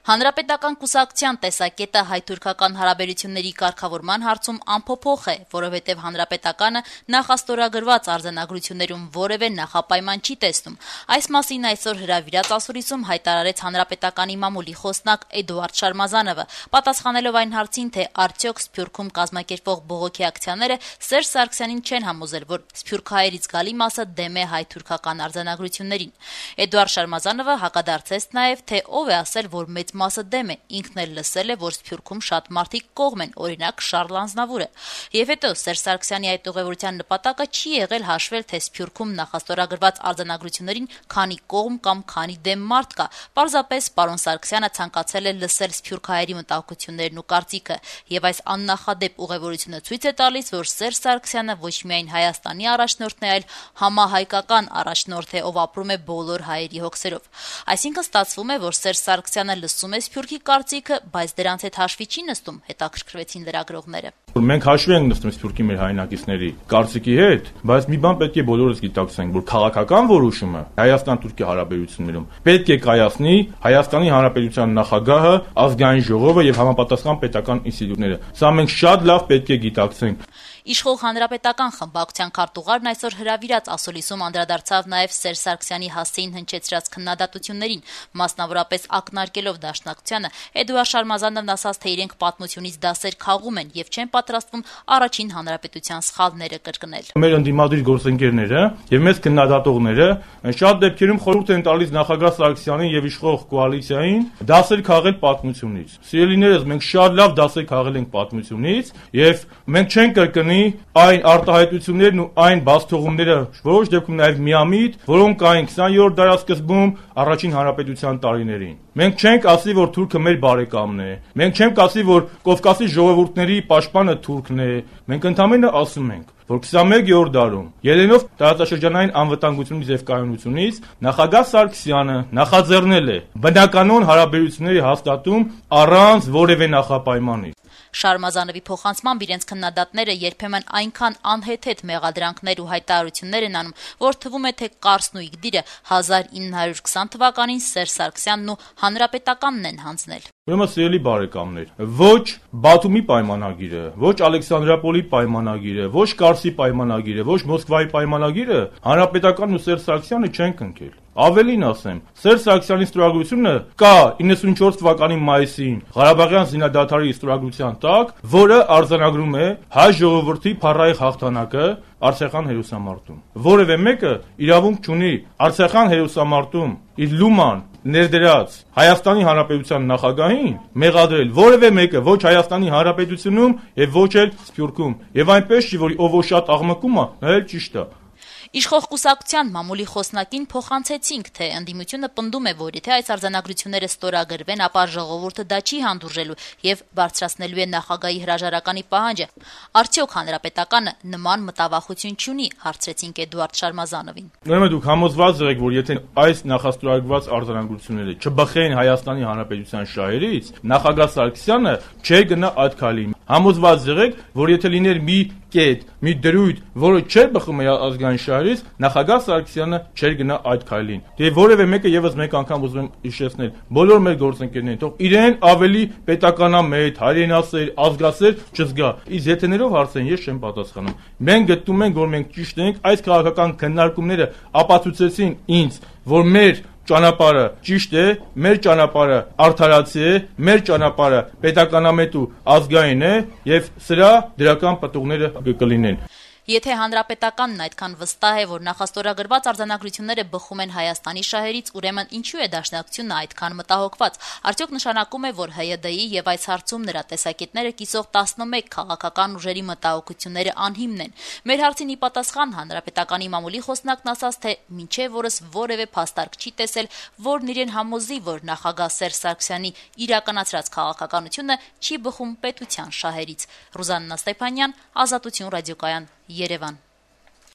Հանրապետական կուսակցության տեսակետը հայ-թուրքական հարաբերությունների կարգավորման հարցում անփոփոխ է, որովհետև Հանրապետականը նախաստորագրված արձանագրություններում որևէ նախապայման չի տեսնում։ Այս մասին այսօր հրավիրած ասուլիսում հայտարարեց Հանրապետականի մամուլի խոսնակ Էդուարդ Շարմազանովը, պատասխանելով այն հարցին, թե արդյոք Սփյուռքում կազմակերպվող բողոքի ակցիաները Սերժ Սարգսյանին չեն համոզել, որ սփյուռքահայերից գալի մասը դեմ է հայ-թուրքական արձանագրություններին։ Էդուարդ Շարմազանովը հակադարձեց նաև, թե ով է ասել, որ մեծ մասը դեմ է, ինքն էլ լսել է, որ Սփյուռքում շատ մարդիկ կողմ են, օրինակ Շարլ Անձնավուրը։ Եվ հետո Սերժ Սարգսյանի այդ ուղևորության նպատակը չի եղել հաշվել, թե Սփյուռքում նախաստորագրված արձանագրություններին քանի կողմ կամ քանի դեմ մարդ կա։ Պարզապես պարոն Սարգսյանը ցանկացել է լսել սփյուռքահայերի մտահոգություններն ու կարծիքը, եւ այս աննախադեպ ուղևորությունը ցույց է տալիս, որ Սերժ Սարգսյանը ոչ միայն Հայաստանի առաջնորդն է, այլ համահայկական առաջնորդ է, ով ապրում է բոլոր հայերի հոգսերով։ Այսինքն ստացվում է, որ Սերժ Սարգսյանը լսում է Սփյուռքի կարծիքը, բայց դրանց հետ հաշվի չի նստում, հետաքրքրվեցին լրագրողները։ Մենք հաշվի ենք նստում Սփյուռքի մեր հայրենակիցների կարծիքի հետ, բայց մի բան պետք է բոլորս գիտակցենք, որ քաղաքական որոշումը Հայաստան-Թուրքիա հարաբերություններում պետք է կայացնի Հայաստանի Հանրապետության նախագահը, ազգային ժողովը եւ համապատասխան պետական ինստիտուտները։ Սա մենք շատ լավ պետք է գիտակցենք։ Իշխող հանրապետական խմբակցության քարտուղարն այսօր հրավիրած ասուլիսում անդրադարձավ նաև Սերժ Սարգսյանի հասցեին հնչեցրած քննադատություններին, մասնավորապես ակնարկելով Դաշնակցությանը, Էդուարդ Շարմազանովն ասաց, թե իրենք պատմությունից դասեր քաղում են եւ չեն պատրաստվում առաջին հանրապետության սխալները կրկնել։ Մեր ընդդիմադիր գործընկերները եւ մեծ քննադատողները շատ դեպքերում խորհուրդ են տալիս նախագահ Սարգսյանին եւ իշխող կոալիցիային դասեր քաղել պատմությունից։ Սիրելիներս, մենք շատ լավ դասեր քաղել ենք պատմությունից եւ մենք չենք կրկնի այն արտահայտություններն ու այն բացթողումները, որոշ դեպքում նաև միամիտ, որոնք կային 20-րդ դարաշրջանում առաջին հանրապետության տարիներին։ Մենք չենք ասի, որ թուրքը մեր բարեկամն է։ Մենք չենք ասի, որ Կովկասի ժողովուրդների պաշտպանը թուրքն է։ Մենք ընդհանրապես ասում ենք, որ 21-րդ դարում ելնելով տարածաշրջանային անվտանգությունից եւ կայունությունից նախագահ Սարգսյանը նախաձեռնել է բնականոն հարաբերությունների հաստատում առանց որևէ նախապայմանի։ Շարմազանովի փոխանցմամբ իրենց քննադատները երբեմն այնքան անհեթեթ մեղադրանքներ ու հայտարարություններ են անում, որ թվում է, թե Կարսն ու Իգդիրը 1920 թվականին Սերժ Սարգսյանն ու Հանրապետականն են հանձնել։ Ուրեմն սիրելի բարեկամներ, ոչ Բաթումի պայմանագիրը, ոչ Ալեքսանդրապոլի պայմանագիրը, ոչ Կարսի պայմանագիրը, ոչ Մոսկվայի պայմանագիրը Հանրապետականն ու Սերժ Սարգսյանը չեն կնքել։ Ավելին ասեմ, Սերժ Սարգսյանի ստորագրությունը կա 94 թվականի մայիսին Ղարաբաղյան զինադադարի ստորագրության տակ, որը արձանագրում է հայ ժողովրդի փառահեղ հաղթանակը Արցախյան հերոսամարտում։ Որևէ մեկը իրավունք չունի Արցախյան հերոսամարտում իր լուման ներդրած Հայաստանի Հանրապետության նախագահին մեղադրել որևէ մեկը ոչ Հայաստանի Հանրապետությունում եւ ոչ էլ Սփյուռքում։ Եվ այնպես չի, որ ով շատ աղմկում է, նա էլ ճիշտ է։ Իշխող կուսակցության մամուլի խոսնակին փոխանցեցինք, թե ընդդիմությունը պնդում է, որ եթե այս արձանագրությունները ստորագրվեն, ապա ժողովուրդը դա չի հանդուրժելու եւ բարձրացնելու է նախագահի հրաժարականի պահանջը։ Արդյոք հանրապետականը նման մտավախություն չունի, հարցրեցինք Էդուարդ Շարմազանովին։ Ուրեմն դուք համոզված եղեք, որ եթե այս նախաստորագրված արձանագրությունները չբխեն Հայաստանի Հանրապետության շահերից, նախագահ Սարգսյանը չէ գնա այդ քայլին։ Համոզված եղեք, որ եթե լիներ մի կետ, մի դրույթ, որը չէր բխում ազգային շահերից, նախագահ Սարգսյանը չէր գնա այդ քայլին։ Դե որևէ մեկը եւս մեկ անգամ ուզում եմ հիշեցնել, բոլոր մեր գործընկերներին, թող իրեն ավելի պետականամետ, հայրենասեր, ազգասեր չզգա։ Իսկ եթեներով հարցեն ես չեմ պատասխանում։ Մենք գտնում ենք, որ մենք ճիշտ ենք, այս քաղաքական քննարկումները ապացուցեցին ինձ, որ մեր ճանապարհը ճիշտ է, մեր ճանապարհը արդարացի է, մեր ճանապարհը պետականամետ ու ազգային է եւ սրա դրական պատողները կլինեն։ Եթե հանրապետականն այդքան վստահ է, որ նախաստորագրված արձանագրությունները բխում են Հայաստանի շահերից, ուրեմն ինչու է Դաշնակցությունը այդքան մտահոգված։ Արդյոք նշանակում է, որ ՀՅԴ-ի եւ այս հարցում նրա տեսակետները կիսող 11 քաղաքական ուժերի մտահոգությունները անհիմն են։ Մեր հարցին ի պատասխան հանրապետականի մամուլի խոսնակն ասաց, թե մինչև օրս որևէ փաստարկ չի տեսել, որն իրեն համոզի, որ նախագահ Սերժ Սարգսյանի իրականացրած քաղաքականությունը չի բխում պետության շահերից։ Ռուզաննա Ստեփանյան, Ազատություն ռադիոկայան, Երևան։